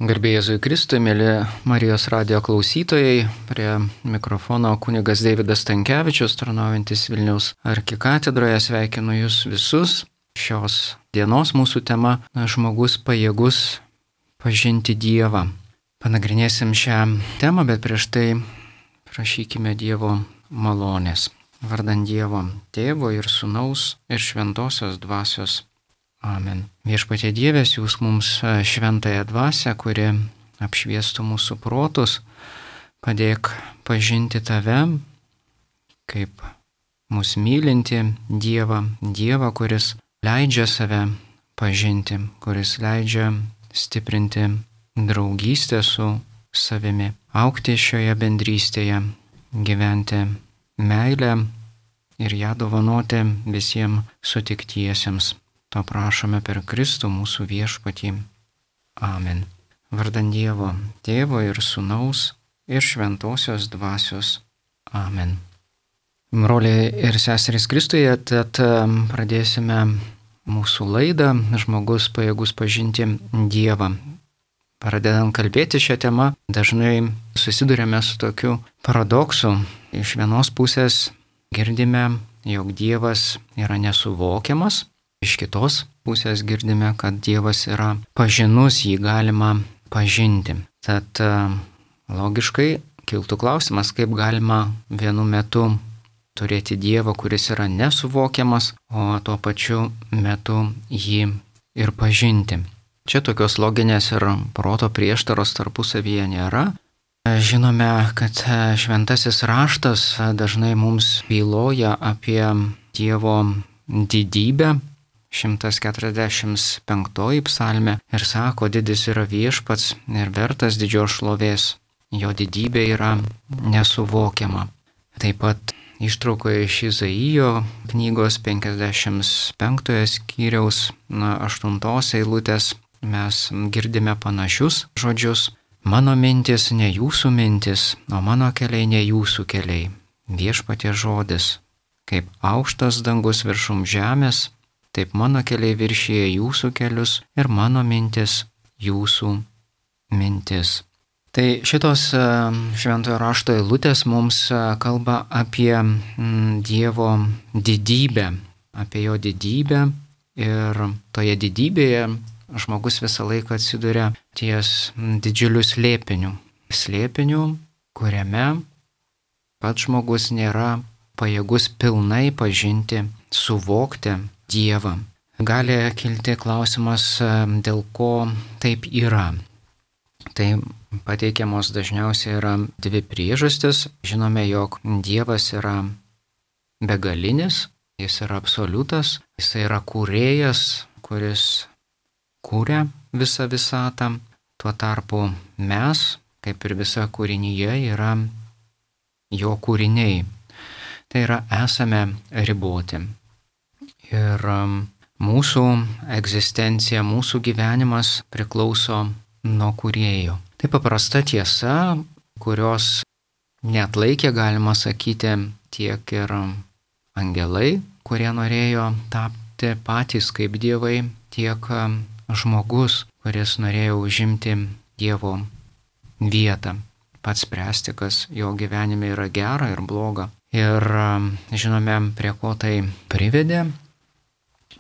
Garbė Jėzui Kristui, mėly Marijos radijo klausytojai, prie mikrofono kunigas Deividas Stankevičius, tarnaujantis Vilniaus arkikatedroje, sveikinu jūs visus. Šios dienos mūsų tema - žmogus pajėgus pažinti Dievą. Panagrinėsim šią temą, bet prieš tai prašykime Dievo malonės. Vardan Dievo Tėvo ir Sūnaus ir Šventosios Dvasios. Amen. Viešpatie Dieve, siųsk mums šventąją dvasią, kuri apšviestų mūsų protus, padėk pažinti Tave, kaip mus mylinti Dievą, kuris leidžia save pažinti, kuris leidžia stiprinti draugystę su savimi, augti šioje bendrystėje, gyventi meilę ir ją dovanoti visiems sutiktiesiems. To prašome per Kristų mūsų viešpatį. Amen. Vardan Dievo Tėvo ir Sūnaus ir Šventosios Dvasios. Amen. Broliai ir seserys Kristuje, tad pradėsime mūsų laidą Žmogus pajėgus pažinti Dievą. Pradedant kalbėti šią temą, dažnai susidurėme su tokiu paradoksu. Iš vienos pusės girdime, jog Dievas yra nesuvokiamas. Iš kitos pusės girdime, kad Dievas yra pažinus, jį galima pažinti. Tad logiškai kiltų klausimas, kaip galima vienu metu turėti Dievą, kuris yra nesuvokiamas, o tuo pačiu metu jį ir pažinti. Čia tokios loginės ir proto prieštaros tarpusavyje nėra. Žinome, kad šventasis raštas dažnai mums byloja apie Dievo didybę. 145 psalmė ir sako, didis yra viešpats ir vertas didžios šlovės. Jo didybė yra nesuvokiama. Taip pat ištraukoje iš Izaijo knygos 55 skyriaus 8 eilutės mes girdime panašius žodžius. Mano mintis ne jūsų mintis, o mano keliai ne jūsų keliai. Viešpaties žodis, kaip aukštas dangus viršum žemės, taip mano keliai viršyje jūsų kelius ir mano mintis jūsų mintis. Tai šitos šventojo rašto eilutės mums kalba apie Dievo didybę, apie jo didybę ir toje didybėje žmogus visą laiką atsiduria ties didžiuliu slėpiniu. Slėpiniu, kuriame pats žmogus nėra pajėgus pilnai pažinti, suvokti Dievą. Gali kilti klausimas, dėl ko taip yra. Tai pateikiamos dažniausiai yra dvi priežastis. Žinome, jog Dievas yra begalinis, jis yra absoliutas, jis yra kūrėjas, kuris kūrė visą visatą. Tuo tarpu mes, kaip ir visa kūrinyje, yra jo kūriniai. Tai yra esame riboti. Ir mūsų egzistencija, mūsų gyvenimas priklauso nuo kūrėjo. Tai paprasta tiesa, kurios neatlaikė, galima sakyti, tiek ir angelai, kurie norėjo tapti patys kaip dievai, tiek žmogus, kuris norėjo užimti Dievo vietą, pats spręsti, kas jo gyvenime yra gera ir bloga. Ir žinome, prie ko tai privedė.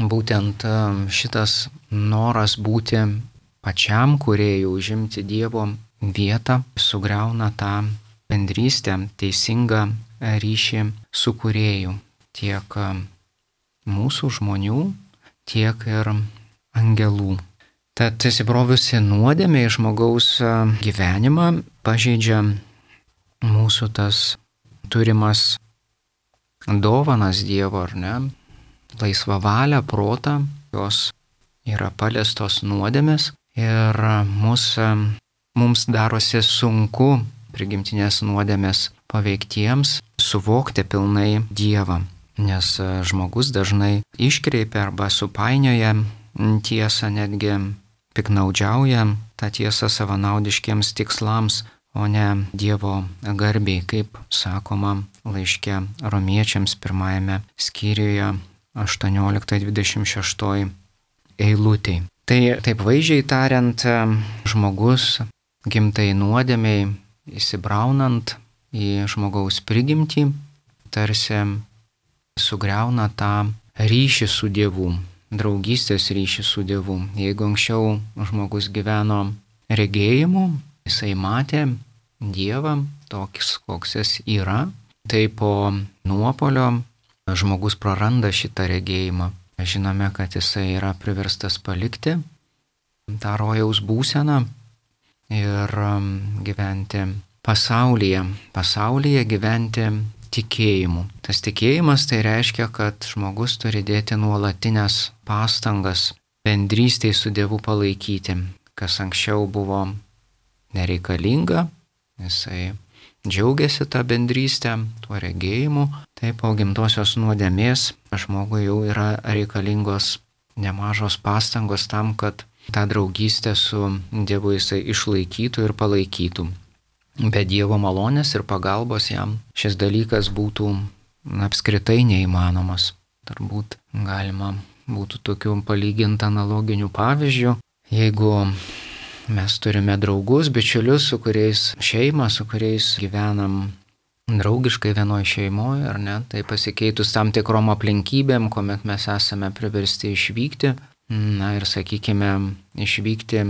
Būtent šitas noras būti pačiam kūrėjui, užimti Dievo vietą, sugriauna tą bendrystę, teisingą ryšį su kūrėju. Tiek mūsų žmonių, tiek ir angelų. Tad įsibrovusi nuodėmė į žmogaus gyvenimą pažeidžia mūsų tas turimas dovanas Dievo, ar ne? Laisvą valią, protą, jos yra paliestos nuodėmės ir mums darosi sunku prigimtinės nuodėmės paveiktiems suvokti pilnai Dievą, nes žmogus dažnai iškreipia arba supainioja tiesą, netgi piknaudžiauja tą tiesą savanaudiškiems tikslams, o ne Dievo garbiai, kaip sakoma laiške Romiečiams 1 skyriuje 18-26 eilutėj. Tai taip vaizdžiai tariant, žmogus gimtai nuodėmiai įsibraunant į žmogaus prigimtį, tarsi sugriauna tą ryšį su Dievu, draugystės ryšį su Dievu. Jeigu anksčiau žmogus gyveno regėjimu, jisai matė Dievą toks, koks jis yra, tai po nuopolio žmogus praranda šitą regėjimą. Žinome, kad jisai yra priverstas palikti tą rojaus būseną ir gyventi pasaulyje gyventi tikėjimu. Tas tikėjimas tai reiškia, kad žmogus turi dėti nuolatinės pastangas bendrystėj su Dievu palaikyti, kas anksčiau buvo nereikalinga, jisai džiaugiasi tą bendrystę, tuo regėjimu, tai po gimtosios nuodėmės žmogui jau yra reikalingos nemažos pastangos tam, kad tą draugystę su Dievu jisai išlaikytų ir palaikytų. Be Dievo malonės ir pagalbos jam šis dalykas būtų apskritai neįmanomas. Turbūt galima būtų tokių palyginti analoginių pavyzdžių. Jeigu mes turime draugus, bičiulius, su kuriais gyvenam draugiškai vienoj šeimoje, ar ne, tai pasikeitus tam tikrom aplinkybėm, kuomet mes esame priversti išvykti, ir sakykime, išvykti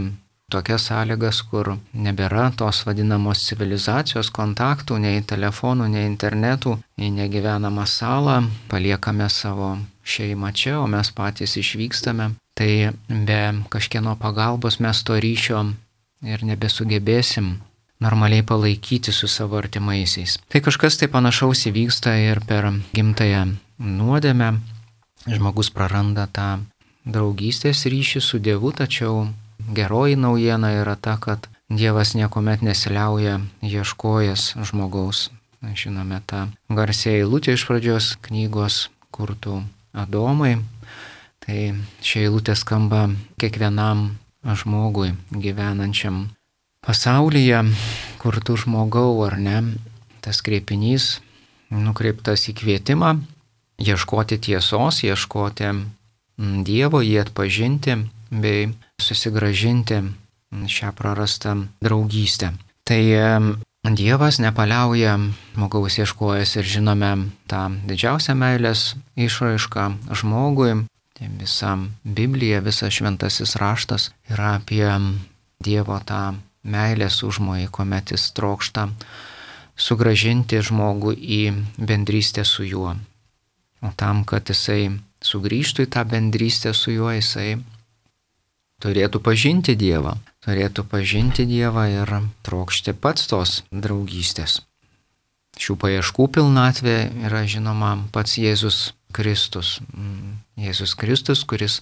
tokias sąlygas, kur nebėra tos vadinamos civilizacijos kontaktų, nei telefonų, nei internetų, nei negyvenamą salą, paliekame savo šeimą čia, o mes patys išvykstame, tai be kažkieno pagalbos mes to ryšio ir nebesugebėsim normaliai palaikyti su savo artimaisiais. Tai kažkas tai panašaus įvyksta ir per gimtąją nuodėmę. Žmogus praranda tą draugystės ryšį su Dievu, tačiau geroji naujiena yra ta, kad Dievas niekuomet nesiliauja ieškojęs žmogaus. Žinome tą garsią eilutę iš pradžios knygos, kur tu Adomai. Tai ši eilutė skamba kiekvienam žmogui gyvenančiam pasaulyje, kur tu žmogau, ar ne. Tas kreipinys nukreiptas į kvietimą ieškoti tiesos, ieškoti Dievo, jį atpažinti bei susigrąžinti šią prarastą draugystę. Tai Dievas nepaliauja žmogaus ieškojęs ir žinome tą didžiausią meilės išraišką žmogui. Tai visa Biblija, visas šventasis raštas yra apie Dievo tą meilės užmojį, kuomet jis trokšta sugrąžinti žmogų į bendrystę su juo. O tam, kad jisai sugrįžtų į tą bendrystę su juo, jisai turėtų pažinti Dievą. Turėtų pažinti Dievą ir trokšti pats tos draugystės. Šių paieškų pilnatvė yra žinoma pats Jėzus Kristus. Jėzus Kristus, kuris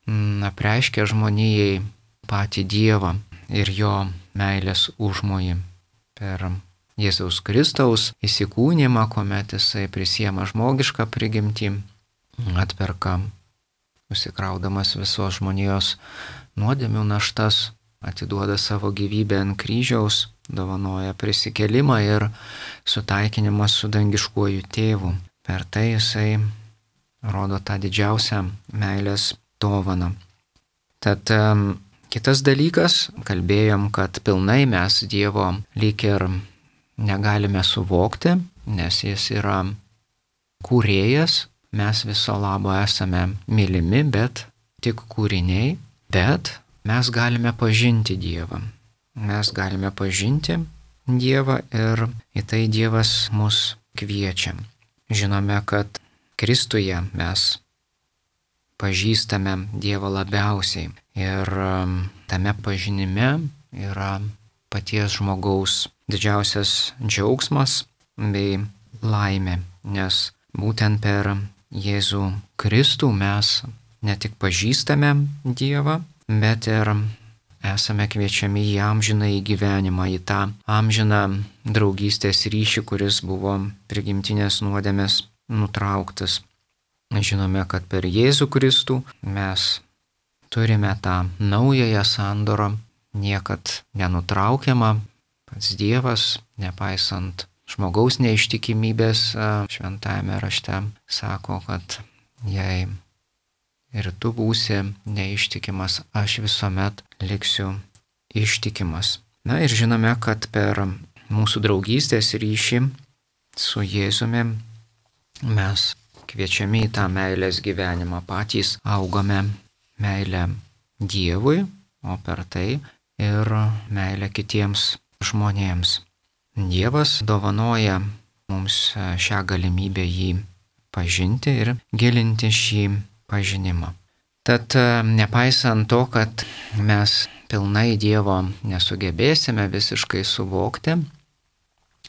apreiškia žmonijai patį Dievą ir jo meilės užmojį. Per Jėzaus Kristaus įsikūnymą, kuomet jisai prisiema žmogišką prigimtį, atperka, užsikraudamas visos žmonijos nuodėmių naštas, atiduoda savo gyvybę ant kryžiaus, dovanoja prisikėlimą ir sutaikinimą su dangiškuoju tėvu. Per tai jisai rodo tą didžiausią meilės dovaną. Tad kitas dalykas, kalbėjom, kad pilnai mes Dievo lyg ir negalime suvokti, nes jis yra kūrėjas, mes viso labo esame mylimi, bet tik kūriniai, bet mes galime pažinti Dievą. Mes galime pažinti Dievą ir į tai Dievas mus kviečia. Žinome, kad Kristuje mes pažįstame Dievą labiausiai ir tame pažinime yra paties žmogaus didžiausias džiaugsmas bei laimė, nes būtent per Jėzų Kristų mes ne tik pažįstame Dievą, bet ir esame kviečiami į amžinąjį gyvenimą, į tą amžiną draugystės ryšį, kuris buvo prigimtinės nuodėmės nutrauktas. Žinome, kad per Jėzų Kristų mes turime tą naująją sandorą, niekad nenutraukiamą. Pats Dievas, nepaisant žmogaus neištikimybės, šventajame rašte sako, kad jei ir tu būsi neištikimas, aš visuomet liksiu ištikimas. Na ir žinome, kad per mūsų draugystės ryšį su Jėzumi mes kviečiami į tą meilės gyvenimą, patys augame meilę Dievui, o per tai ir meilę kitiems žmonėms. Dievas dovanoja mums šią galimybę jį pažinti ir gilinti šį pažinimą. Tad nepaisant to, kad mes pilnai Dievo nesugebėsime visiškai suvokti,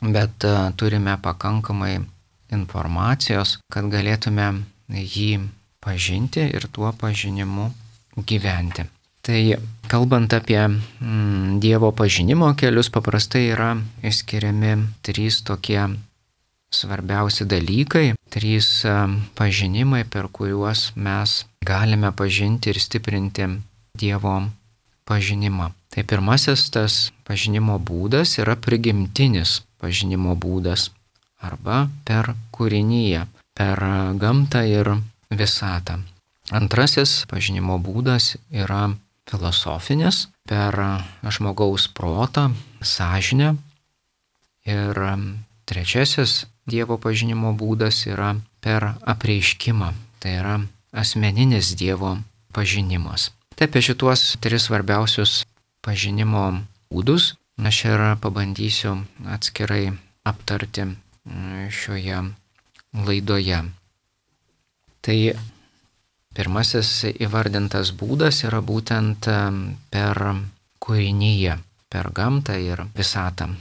bet turime pakankamai informacijos, kad galėtume jį pažinti ir tuo pažinimu gyventi. Tai kalbant apie Dievo pažinimo kelius, paprastai yra išskiriami 3 tokie svarbiausi dalykai, 3 pažinimai, per kuriuos mes galime pažinti ir stiprinti Dievo pažinimą. Tai pirmasis tas pažinimo būdas yra prigimtinis pažinimo būdas arba per kūriniją, per gamtą ir visatą. Antrasis pažinimo būdas yra filosofinis, per žmogaus protą, sąžinę. Ir trečiasis Dievo pažinimo būdas yra per apreiškimą, tai yra asmeninis Dievo pažinimas. Tai apie šituos 3 svarbiausius pažinimo būdus aš ir pabandysiu atskirai aptarti šioje laidoje. Tai pirmasis įvardintas būdas yra būtent per kūriniją, per gamtą ir visatą.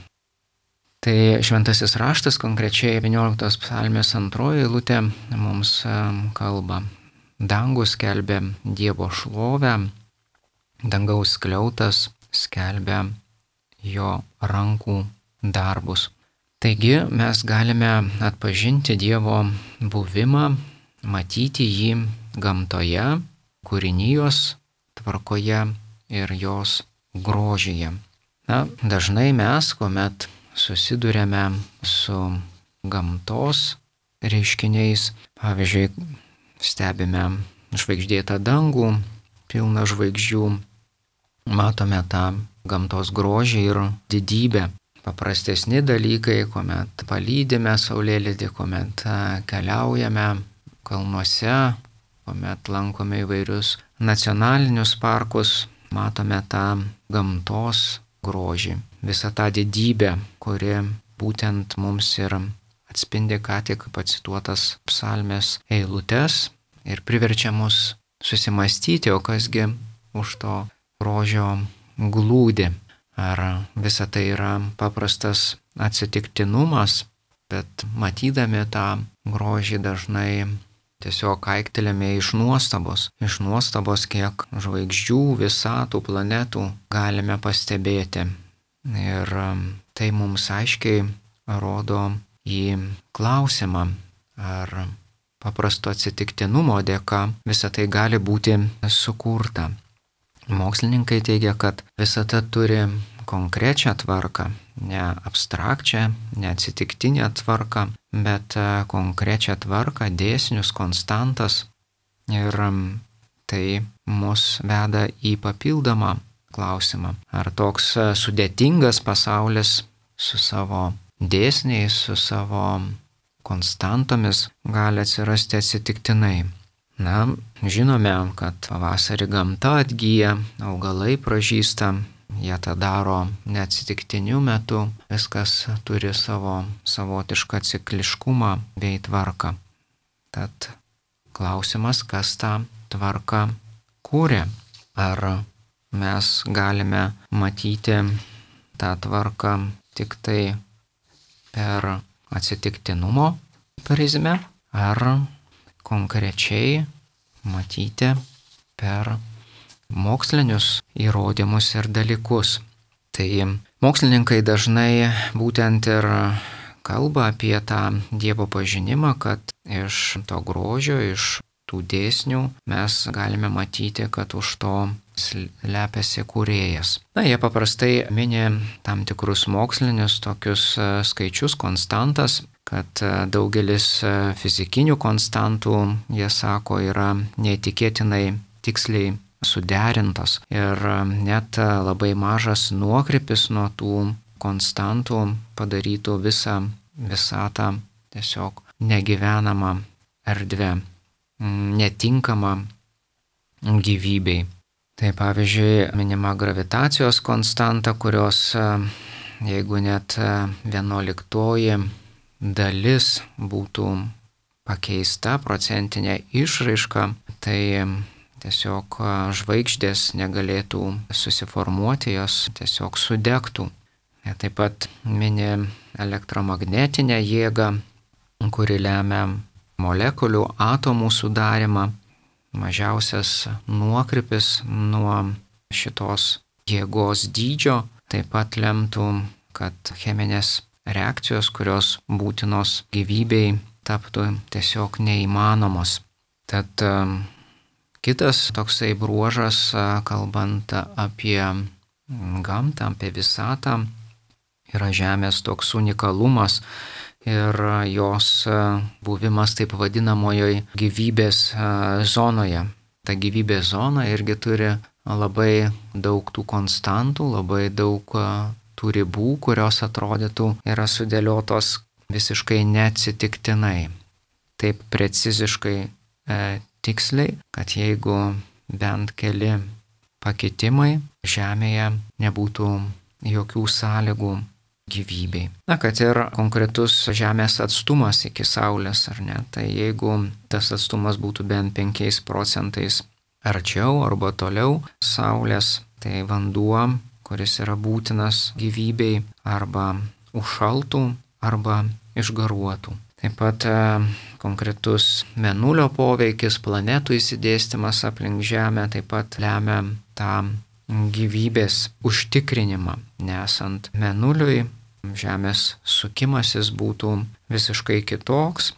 Tai šventasis raštas, konkrečiai 11 psalmės 2 eilutė mums kalba. Dangus skelbia Dievo šlovę, dangaus skliautas skelbia jo rankų darbus. Taigi mes galime atpažinti Dievo buvimą, matyti jį gamtoje, kūrinijos tvarkoje ir jos grožyje. Na, dažnai mes, kuomet susiduriame su gamtos reiškiniais, pavyzdžiui, stebime žvaigždėtą dangų, pilną žvaigždžių, matome tą gamtos grožį ir didybę. Paprastesni dalykai, kuomet palydime saulėlydį, kuomet keliaujame kalnuose, kuomet lankome įvairius nacionalinius parkus, matome tą gamtos grožį, visą tą didybę, kuri būtent mums ir atspindi ką tik pacituotas psalmės eilutes ir priverčia mus susimastyti, o kasgi už to grožio glūdi. Ar visa tai yra paprastas atsitiktinumas, bet matydami tą grožį dažnai tiesiog aiktelėme iš nuostabos, kiek žvaigždžių, visatų, planetų galime pastebėti. Ir tai mums aiškiai rodo į klausimą, ar paprasto atsitiktinumo dėka visa tai gali būti sukurta. Mokslininkai teigia, kad visata turi konkrečią tvarką, ne abstrakčią, ne atsitiktinę tvarką, bet konkrečią tvarką, dėsnius, konstantas. Ir tai mus veda į papildomą klausimą. Ar toks sudėtingas pasaulis su savo dėsniais, su savo konstantomis gali atsirasti atsitiktinai? Na, žinome, kad pavasarį gamta atgyja, augalai pražysta, jie tą daro neatsitiktiniu metu, viskas turi savo savotišką cikliškumą bei tvarką. Tad klausimas, kas tą tvarką kūrė? Ar mes galime matyti tą tvarką tik tai per atsitiktinumo prizmę, ar konkrečiai matyti per mokslinius įrodymus ir dalykus? Tai mokslininkai dažnai būtent ir kalba apie tą Dievo pažinimą, kad iš to grožio, iš tų dėsnių mes galime matyti, kad už to slepiasi kūrėjas. Na, jie paprastai mini tam tikrus mokslinius tokius skaičius, konstantas, kad daugelis fizikinių konstantų, jie sako, yra neįtikėtinai tiksliai suderintos ir net labai mažas nuokrypis nuo tų konstantų padarytų visą visatą tiesiog negyvenamą erdvę, netinkamą gyvybei. Tai pavyzdžiui, minima gravitacijos konstanta, kurios jeigu net 11 dalis būtų pakeista procentinė išraiška, tai tiesiog žvaigždės negalėtų susiformuoti, jos tiesiog sudegtų. Taip pat mini elektromagnetinę jėgą, kuri lemia molekulių atomų sudarimą. Mažiausias nuokrypis nuo šitos jėgos dydžio taip pat lemtų, kad cheminės reakcijos, kurios būtinos gyvybei, taptų tiesiog neįmanomos. Tad kitas toksai bruožas, kalbant apie gamtą, apie visatą, yra Žemės toks unikalumas ir jos buvimas taip vadinamojoj gyvybės zonoje. Ta gyvybės zona irgi turi labai daug tų konstantų, labai daug tų ribų, kurios atrodytų yra sudėliotos visiškai neatsitiktinai. Taip preciziškai tiksliai, kad jeigu bent keli pakitimai Žemėje nebūtų jokių sąlygų gyvybei. Na, kad ir konkretus Žemės atstumas iki Saulės, ar ne, tai jeigu tas atstumas būtų bent 5% arčiau arba toliau Saulės, tai vanduo, kuris yra būtinas gyvybei, arba užšaltų, arba išgaruotų. Taip pat konkretus Mėnulio poveikis, planetų išsidėstymas aplink Žemę taip pat lemia tą gyvybės užtikrinimą, nesant Mėnuliui. Žemės sukimasis būtų visiškai kitoks,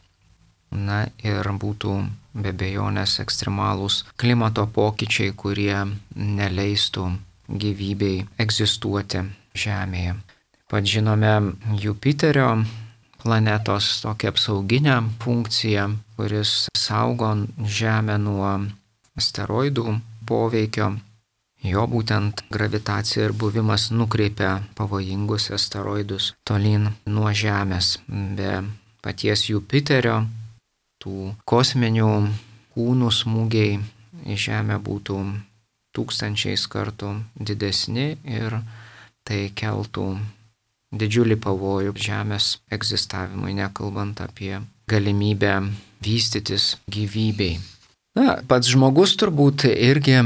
na ir būtų be abejonės ekstremalūs klimato pokyčiai, kurie neleistų gyvybei egzistuoti Žemėje. Taip pat žinome Jupiterio planetos tokią apsauginę funkciją, kuris saugo Žemę nuo asteroidų poveikio. Jo būtent gravitacija ir buvimas nukreipia pavojingus asteroidus tolyn nuo Žemės. Be paties Jupiterio tų kosminių kūnų smūgiai į Žemę būtų 1000 kartų didesni ir tai keltų didžiulį pavojų Žemės egzistavimui, nekalbant apie galimybę vystytis gyvybei. Na, pats žmogus turbūt irgi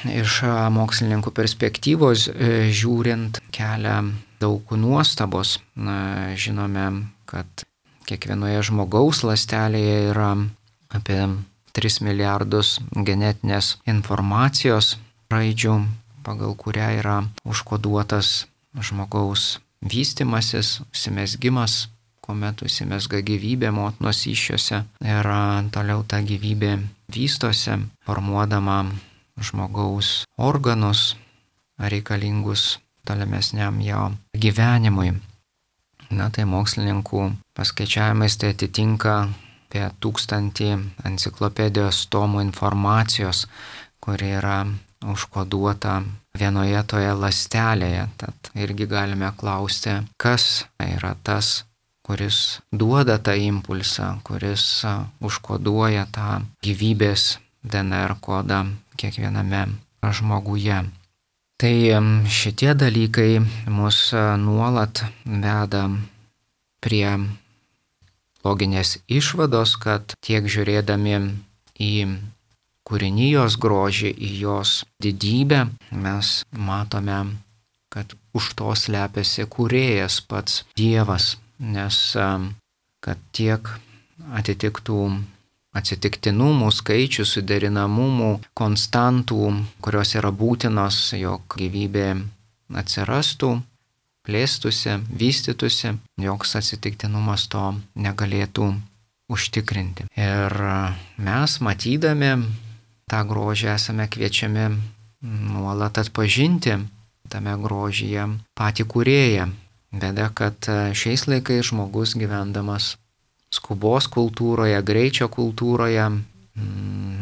iš mokslininkų perspektyvos žiūrint kelia daug nuostabos. Na, žinome, kad kiekvienoje žmogaus ląstelėje yra apie 3 milijardus genetinės informacijos raidžių, pagal kurią yra užkoduotas žmogaus vystymasis, užsimezgimas, kuomet užsimezga gyvybė motinos įsčiose ir toliau ta gyvybė vystosi, formuodama žmogaus organus reikalingus tolimesniam jo gyvenimui. Na, tai mokslininkų paskaičiavimais tai atitinka apie 1000 enciklopedijos tomų informacijos, kuri yra užkoduota vienoje toje ląstelėje. Tad irgi galime klausti, kas yra tas, kuris duoda tą impulsą, kuris užkoduoja tą gyvybės DNR kodą kiekviename žmoguje. Tai šitie dalykai mus nuolat veda prie loginės išvados, kad tiek žiūrėdami į kūrinijos grožį, į jos didybę, mes matome, kad už to slepiasi kūrėjas, pats Dievas. Nes kad tiek atitiktų atsitiktinumų, skaičių, suderinamumų, konstantų, kurios yra būtinos, jog gyvybė atsirastų, plėstųsi, vystytųsi, joks atsitiktinumas to negalėtų užtikrinti. Ir mes, matydami tą grožį, esame kviečiami nuolat atpažinti tame grožyje patį kūrėją. Bėda, kad šiais laikais žmogus gyvendamas skubos kultūroje, greičio kultūroje,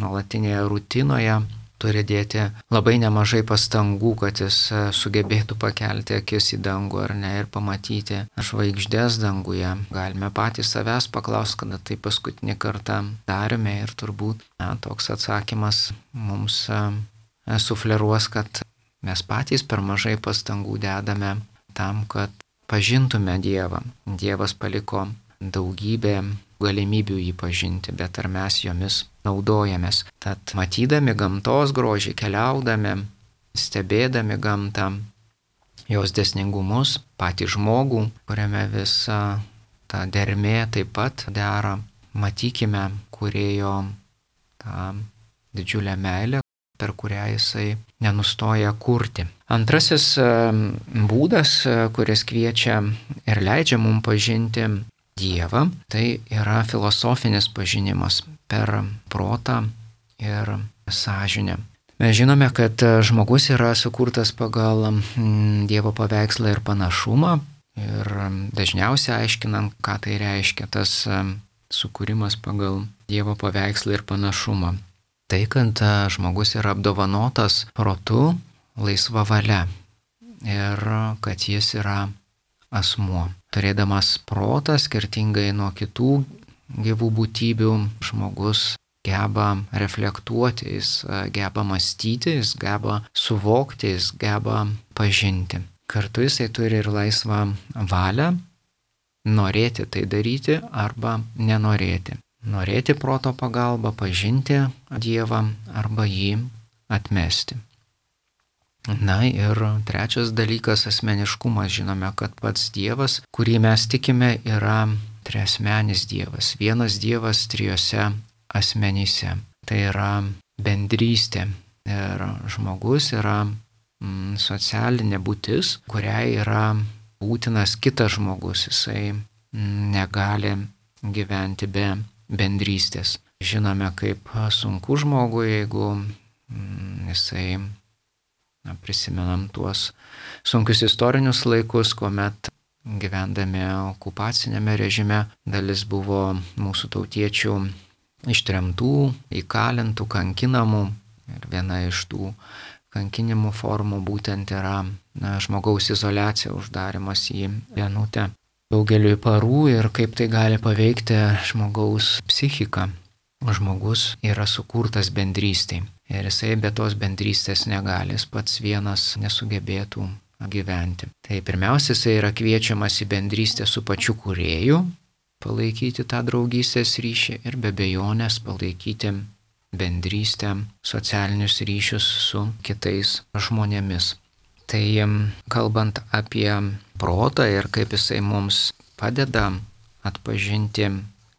nuolatinėje rutinoje turi dėti labai nemažai pastangų, kad jis sugebėtų pakelti akis į dangų ar ne ir pamatyti žvaigždės danguje. Galime patys savęs paklausti, kada tai paskutinį kartą darėme ir turbūt toks atsakymas mums sufleruos, kad mes patys per mažai pastangų dedame tam, kad pažintume Dievą. Dievas paliko daugybę galimybių jį pažinti, bet ar mes jomis naudojamės. Tad matydami gamtos grožį, keliaudami, stebėdami gamtą, jos dėsningumus, patį žmogų, kuriame visa ta dermė taip pat dera, matykime Kūrėjo tą didžiulę meilę, per kurią jisai nenustoja kurti. Antrasis būdas, kuris kviečia ir leidžia mums pažinti Dievą, tai yra filosofinis pažinimas per protą ir sąžinę. Mes žinome, kad žmogus yra sukurtas pagal Dievo paveikslą ir panašumą ir dažniausiai aiškinam, ką tai reiškia tas sukūrimas pagal Dievo paveikslą ir panašumą. Tai, kad žmogus yra apdovanotas protu, laisva valia ir kad jis yra asmuo. Turėdamas protą, skirtingai nuo kitų gyvų būtybių, žmogus geba reflektuoti, jis geba mąstyti, jis geba suvokti, jis geba pažinti. Kartu jisai turi ir laisvą valią norėti tai daryti arba nenorėti. Norėti proto pagalba, pažinti Dievą arba jį atmesti. Na ir trečias dalykas - asmeniškumas. Žinome, kad pats Dievas, kurį mes tikime, yra triasmenis Dievas. Vienas Dievas trijose asmenyse. Tai yra bendrystė. Ir žmogus yra socialinė būtis, kuriai yra būtinas kitas žmogus. Jisai negali gyventi be bendrystės. Žinome, kaip sunku žmogui, jeigu jisai prisimenam tuos sunkius istorinius laikus, kuomet gyvendami okupacinėme režime dalis buvo mūsų tautiečių ištremtų, įkalintų, kankinamų. Ir viena iš tų kankinimų formų būtent yra žmogaus izoliacija, uždarimas į vienutę daugeliui parų ir kaip tai gali paveikti žmogaus psichiką. Žmogus yra sukurtas bendrystei. Ir jisai be tos bendrystės negali, jis pats vienas nesugebėtų gyventi. Tai pirmiausia, jisai yra kviečiamas į bendrystę su pačiu Kūrėju, palaikyti tą draugystės ryšį ir be abejonės palaikyti bendrystę, socialinius ryšius su kitais žmonėmis. Tai kalbant apie protą ir kaip jisai mums padeda atpažinti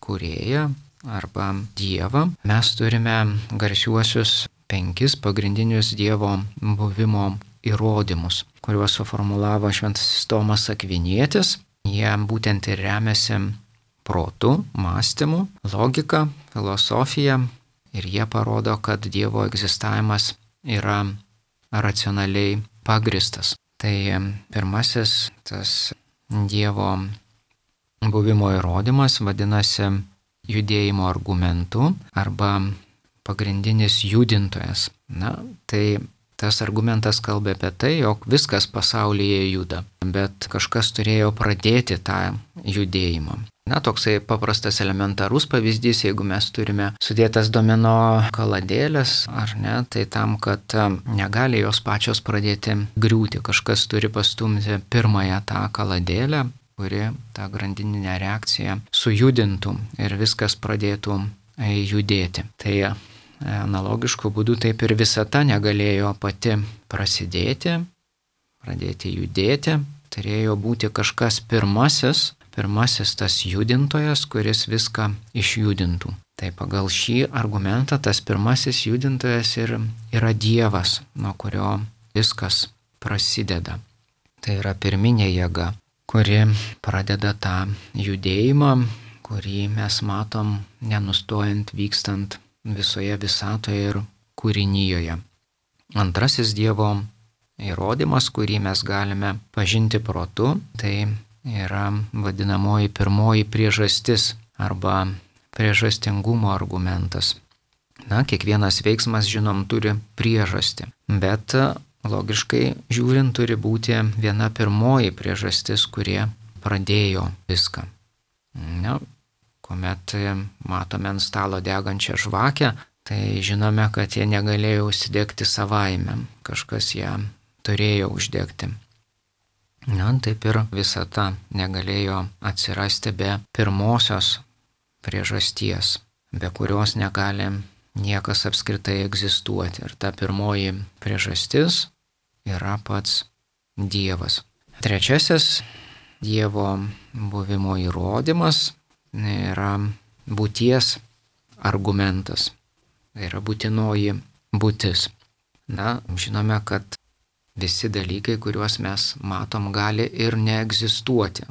Kūrėją arba Dievą, mes turime garsiuosius 5 pagrindinius Dievo buvimo įrodymus, kuriuos suformulavo Šventasis Tomas Akvinietis. Jie būtent ir remiasi protu, mąstymu, logika, filosofija ir jie parodo, kad Dievo egzistavimas yra racionaliai pagristas. Tai pirmasis tas Dievo buvimo įrodymas vadinasi judėjimo argumentu arba pagrindinis judintojas. Na, tai tas argumentas kalba apie tai, jog viskas pasaulyje juda, bet kažkas turėjo pradėti tą judėjimą. Na, toksai paprastas elementarus pavyzdys, jeigu mes turime sudėtas domino kaladėlės, ar ne, tai tam, kad negali jos pačios pradėti griūti, kažkas turi pastumti pirmąją tą kaladėlę, kuri tą grandininę reakciją sujudintų ir viskas pradėtų judėti. Tai analogišku būdu taip ir visata negalėjo pati pradėti judėti, turėjo būti kažkas pirmasis tas judintojas, kuris viską išjudintų. Tai pagal šį argumentą tas pirmasis judintojas ir yra Dievas, nuo kurio viskas prasideda. Tai yra pirminė jėga, kuri pradeda tą judėjimą, kurį mes matom nenustojant vykstant visoje visatoje ir kūrinyjoje. Antrasis Dievo įrodymas, kurį mes galime pažinti protu, tai yra vadinamoji pirmoji priežastis arba priežastingumo argumentas. Kiekvienas veiksmas, žinom, turi priežastį, bet logiškai žiūrint turi būti viena pirmoji priežastis, kurie pradėjo viską. Kuomet matome ant stalo degančią žvakę, tai žinome, kad jie negalėjo užsidegti savaime, kažkas ją turėjo uždegti. Taip ir visata negalėjo atsirasti be pirmosios priežasties, be kurios negali niekas apskritai egzistuoti. Ir ta pirmoji priežastis yra pats Dievas. Trečiasis Dievo buvimo įrodymas yra būties argumentas. Tai yra būtinoji būtis. Žinome, kad visi dalykai, kuriuos mes matom, gali ir neegzistuoti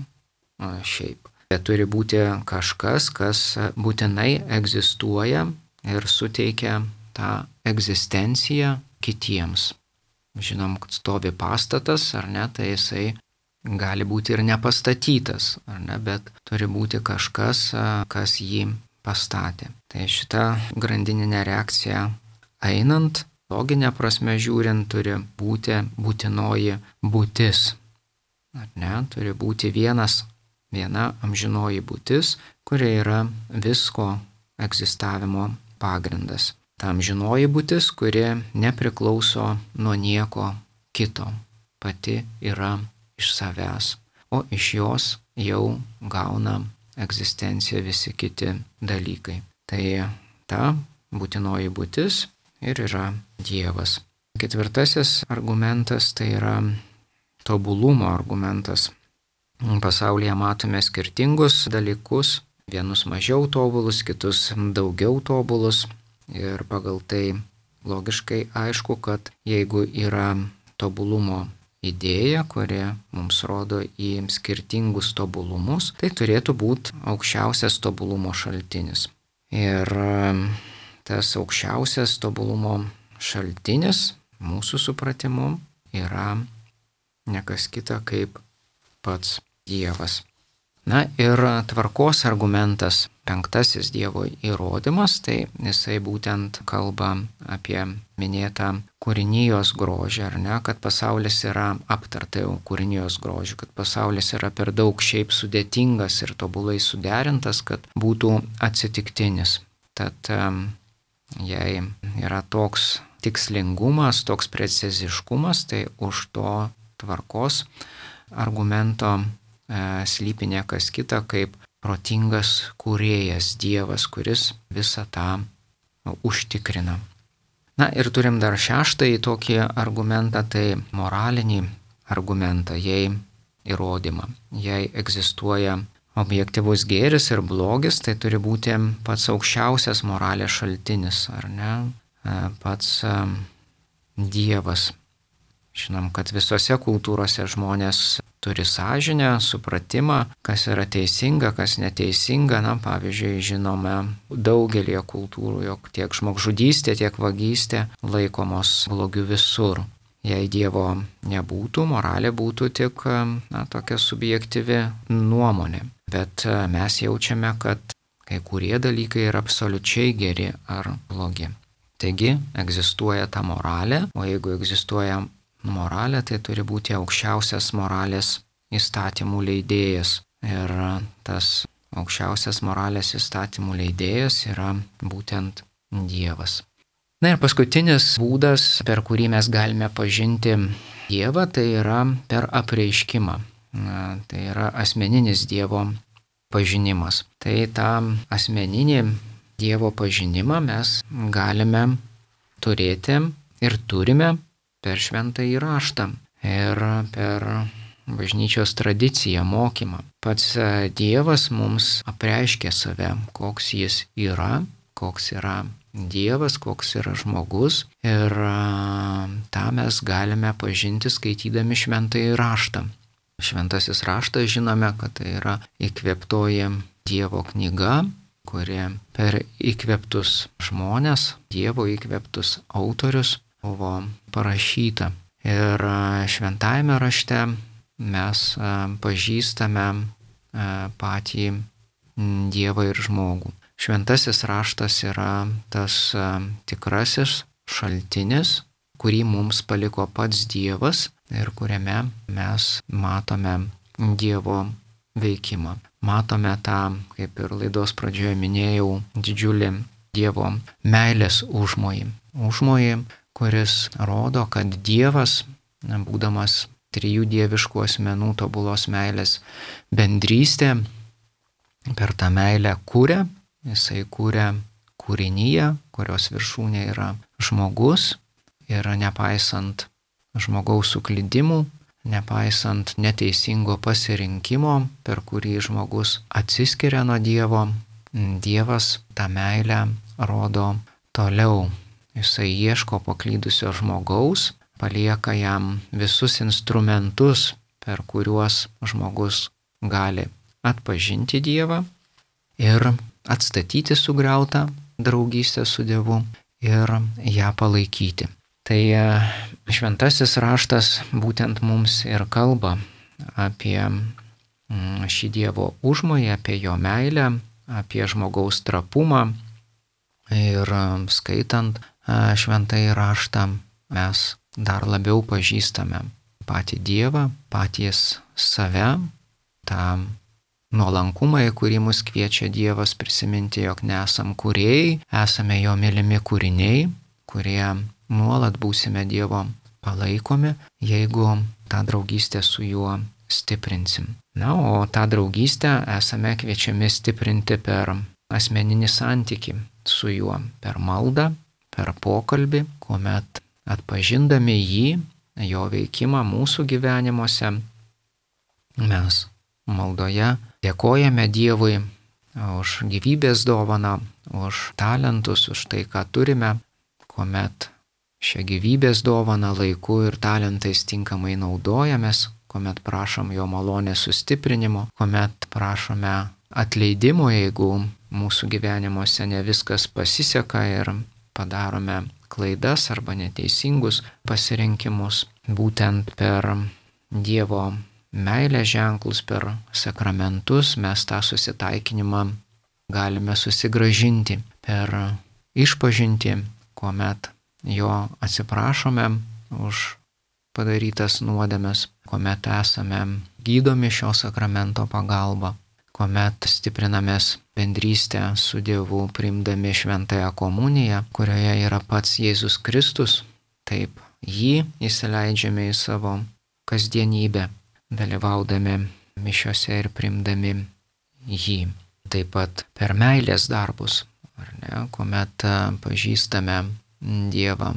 šiaip. Bet turi būti kažkas, kas būtinai egzistuoja ir suteikia tą egzistenciją kitiems. Žinom, kad stovi pastatas, ar ne, tai jisai gali būti ir nepastatytas, ar ne, bet turi būti kažkas, kas jį pastatė. Tai šita grandininė reakcija einant, loginė prasme žiūrint, turi būti būtinoji būtis. Ar ne, turi būti viena amžinoji būtis, kuri yra visko egzistavimo pagrindas. Ta amžinoji būtis, kuri nepriklauso nuo nieko kito, pati yra iš savęs, o iš jos jau gauna egzistenciją visi kiti dalykai. Tai ta būtinoji būtis ir yra Dievas. Ketvirtasis argumentas tai yra tobulumo argumentas. Pasaulyje matome skirtingus dalykus, vienus mažiau tobulus, kitus daugiau tobulus. Ir pagal tai logiškai aišku, kad jeigu yra tobulumo idėja, kuri mums rodo į skirtingus tobulumus, tai turėtų būti aukščiausias tobulumo šaltinis. Ir tas aukščiausias tobulumo šaltinis mūsų supratimu yra nekas kita kaip pats Dievas. Ir tvarkos argumentas, penktasis Dievo įrodymas, tai jisai būtent kalba apie minėtą kūrinijos grožį, ar ne, kad pasaulis yra aptarta jau kūrinijos grožį, kad pasaulis yra per daug šiaip sudėtingas ir tobulai suderintas, kad būtų atsitiktinis. Tad jei yra toks tikslingumas, toks preciziškumas, tai už to tvarkos argumento slypi niekas kita kaip protingas kūrėjas Dievas, kuris visą tą užtikrina. Ir turim dar šeštąjį tokį argumentą, tai moralinį argumentą, jei įrodymą. Jei egzistuoja objektyvus gėris ir blogis, tai turi būti pats aukščiausias moralės šaltinis, ar ne? Pats Dievas. Žinom, kad visose kultūrose žmonės turi sąžinę, supratimą, kas yra teisinga, kas neteisinga. Pavyzdžiui, žinome daugelį kultūrų, jog tiek žmogžudystė, tiek vagystė laikomos blogiu visur. Jei Dievo nebūtų, moralė būtų tik tokia subjektyvi nuomonė. Bet mes jaučiame, kad kai kurie dalykai yra absoliučiai geri ar blogi. Taigi egzistuoja ta moralė, o jeigu egzistuoja moralė, tai turi būti aukščiausias moralės įstatymų leidėjas. Ir tas aukščiausias moralės įstatymų leidėjas yra būtent Dievas. Ir paskutinis būdas, per kurį mes galime pažinti Dievą, tai yra per apreiškimą. Tai yra asmeninis Dievo pažinimas. Tai tą asmeninį Dievo pažinimą mes galime turėti ir turime per šventąjį raštą ir per bažnyčios tradiciją, mokymą. Pats Dievas mums apreiškia save, koks jis yra, koks yra Dievas, koks yra žmogus. Ir tą mes galime pažinti skaitydami šventąjį raštą. Šventasis raštas žinome, kad tai yra įkvėptoji Dievo knyga, kuri per įkvėptus žmonės, Dievo įkvėptus autorius buvo parašyta. Ir šventajame rašte mes pažįstame patį Dievą ir žmogų. Šventasis raštas yra tas tikrasis šaltinis, kurį mums paliko pats Dievas ir kuriame mes matome Dievo veikimą. Matome tą, kaip ir laidos pradžioje minėjau, didžiulį Dievo meilės užmojį. Užmojį, kuris rodo, kad Dievas, būdamas trijų dieviškų asmenų tobulos meilės bendrystė, per tą meilę kūrė, jisai kūrė kūrinyje, kurios viršūnė yra žmogus ir nepaisant žmogaus suklydimų, nepaisant neteisingo pasirinkimo, per kurį žmogus atsiskiria nuo Dievo, Dievas tą meilę rodo toliau. Jisai ieško paklydusio žmogaus, palieka jam visus instrumentus, per kuriuos žmogus gali atpažinti Dievą ir atstatyti sugriautą draugystę su Dievu ir ją palaikyti. Tai šventasis raštas būtent mums ir kalba apie šį Dievo užmojį, apie jo meilę, apie žmogaus trapumą ir skaitant šventąjį raštą mes dar labiau pažįstame patį Dievą, patys save, tą nuolankumą, į kurį mus kviečia Dievas prisiminti, jog nesam kūrėjai, esame jo mylimi kūriniai, kurie nuolat būsime Dievo palaikomi, jeigu tą draugystę su juo stiprinsim. Na, o tą draugystę esame kviečiami stiprinti per asmeninį santykį su juo, per maldą, per pokalbį, kuomet atpažindami jį, jo veikimą mūsų gyvenimuose, mes maldoje dėkojame Dievui už gyvybės dovaną, už talentus, už tai, ką turime, kuomet šią gyvybės dovaną laiku ir talentais tinkamai naudojamės, kuomet prašom jo malonės sustiprinimo, kuomet prašome atleidimo, jeigu mūsų gyvenimuose ne viskas pasiseka ir padarome klaidas arba neteisingus pasirinkimus. Būtent per Dievo meilės ženklus, per sakramentus mes tą susitaikinimą galime susigrąžinti per išpažintį, kuomet jo atsiprašome už padarytas nuodėmes, kuomet esame gydomi šio sakramento pagalba, kuomet stiprinamės bendrystę su Dievu priimdami šventąją komuniją, kurioje yra pats Jėzus Kristus, taip jį įsileidžiame į savo kasdienybę, dalyvaudami mišiose ir priimdami jį. Taip pat per meilės darbus, ar ne, kuomet pažįstame Dievą,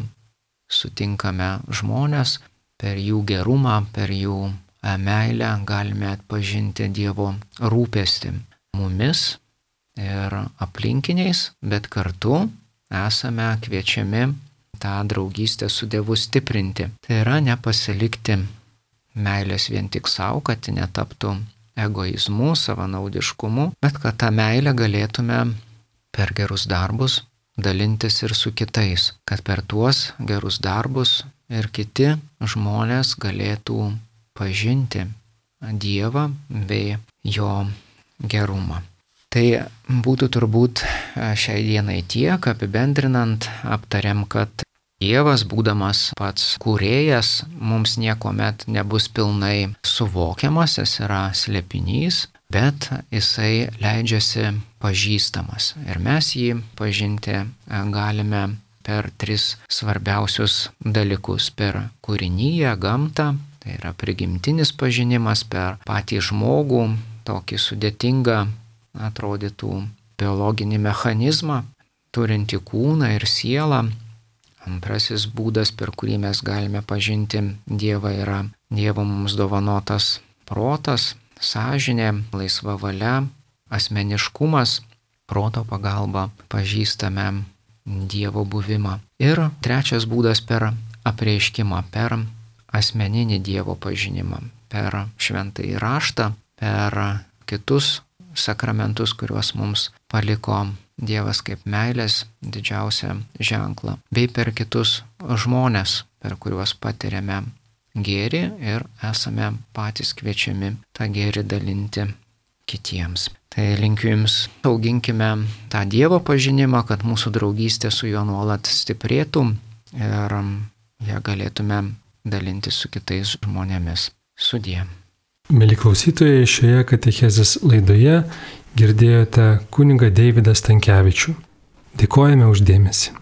sutinkame žmonės, per jų gerumą, per jų meilę galime atpažinti Dievo rūpestį mumis ir aplinkiniais, bet kartu esame kviečiami tą draugystę su Dievu stiprinti. Tai yra nepasilikti meilės vien tik savo, kad netaptų egoizmu, savanaudiškumu, bet kad tą meilę galėtume per gerus darbus dalintis ir su kitais, kad per tuos gerus darbus ir kiti žmonės galėtų pažinti Dievą bei jo gerumą. Tai būtų turbūt šiai dienai tiek, apibendrinant, aptariam, kad Dievas, būdamas pats kūrėjas, mums niekuomet nebus pilnai suvokiamas, jis yra slėpinys, bet jisai leidžiasi pažįstamas. Ir mes jį pažinti galime per tris svarbiausius dalykus. Per kūrinyje, gamtą, tai yra prigimtinis pažinimas, per patį žmogų, tokį sudėtingą atrodytų biologinį mechanizmą, turinti kūną ir sielą. Antrasis būdas, per kurį mes galime pažinti Dievą, yra Dievo mums dovanotas protas, sąžinė, laisva valia, asmeniškumas. Proto pagalba pažįstame Dievo buvimą. Ir trečias būdas per apreiškimą, per asmeninį Dievo pažinimą, per šventąjį raštą, per kitus sakramentus, kuriuos mums paliko Dievas kaip meilės didžiausią ženklą, bei per kitus žmonės, per kuriuos patiriame gėrį ir esame patys kviečiami tą gėrį dalinti kitiems. Tai linkiu Jums, auginkime tą Dievo pažinimą, kad mūsų draugystė su Juo nuolat stiprėtų ir ją galėtume dalinti su kitais žmonėmis. Sudie. Mieli klausytojai, šioje katechezės laidoje girdėjote kunigą Deividą Stankevičių. Dėkojame už dėmesį.